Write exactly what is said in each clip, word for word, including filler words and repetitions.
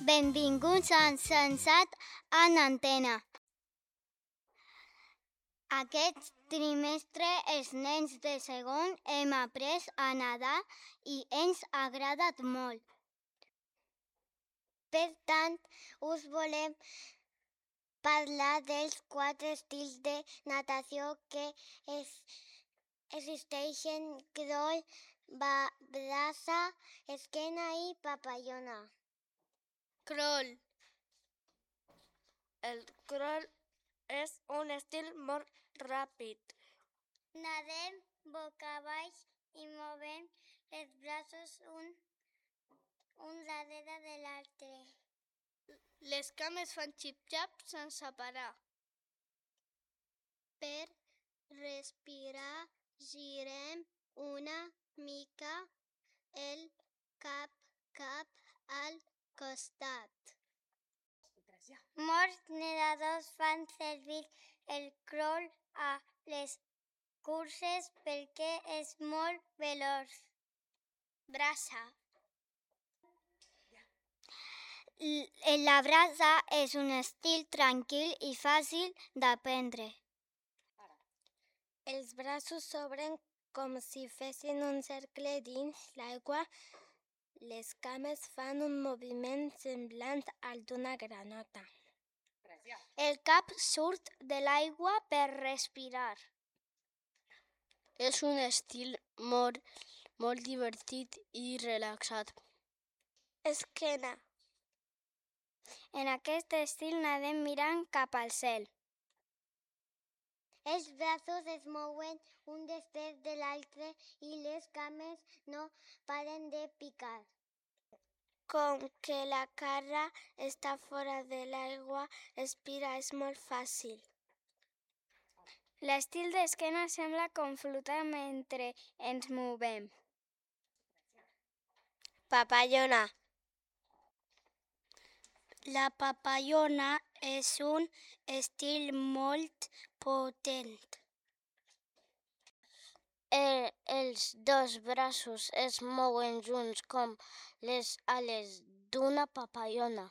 Benvinguts a Sensat en Antena. Aquest trimestre els nens de segon hem après a nedar i ens ha agradat molt. Per tant, us volem parlar dels quatre estils de natació que es, existeixen: crawl, braça, esquena i papallona. Crawl. El crawl és un estil molt ràpid. Nadem boca avall i movem els braços un, un darrere de l'altre. Les cames fan xip-xap sense parar. Per respirar girem una mica el cap cap al costat. Molts nedadors fan servir el crawl a les curses perquè és molt veloç. Braça. La braça és un estil tranquil i fàcil d'aprendre. Els braços s'obren com si fessin un cercle dins l'aigua. Les cames fan un moviment semblant al d'una granota. El cap surt de l'aigua per respirar. És un estil molt, molt divertit i relaxat. Esquena. En aquest estil nadem mirant cap al cel. Els braços es mouen un després de l'altre i les cames no paren de picar. Com que la cara està fora de l'aigua, respirar és molt fàcil. L'estil d'esquena sembla com flotar mentre ens movem. Papallona. La papallona és un estil molt potent. El, els dos braços es mouen junts com les ales d'una papallona.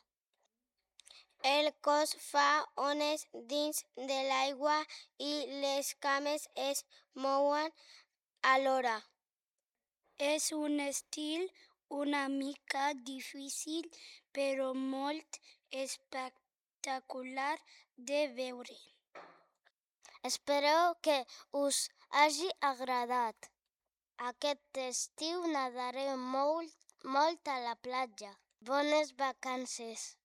El cos fa ones dins de l'aigua i les cames es mouen alhora. És un estil una mica difícil, però molt espectacular de veure. Espero que us hagi agradat. Aquest estiu nadaré molt, molt a la platja. Bones vacances!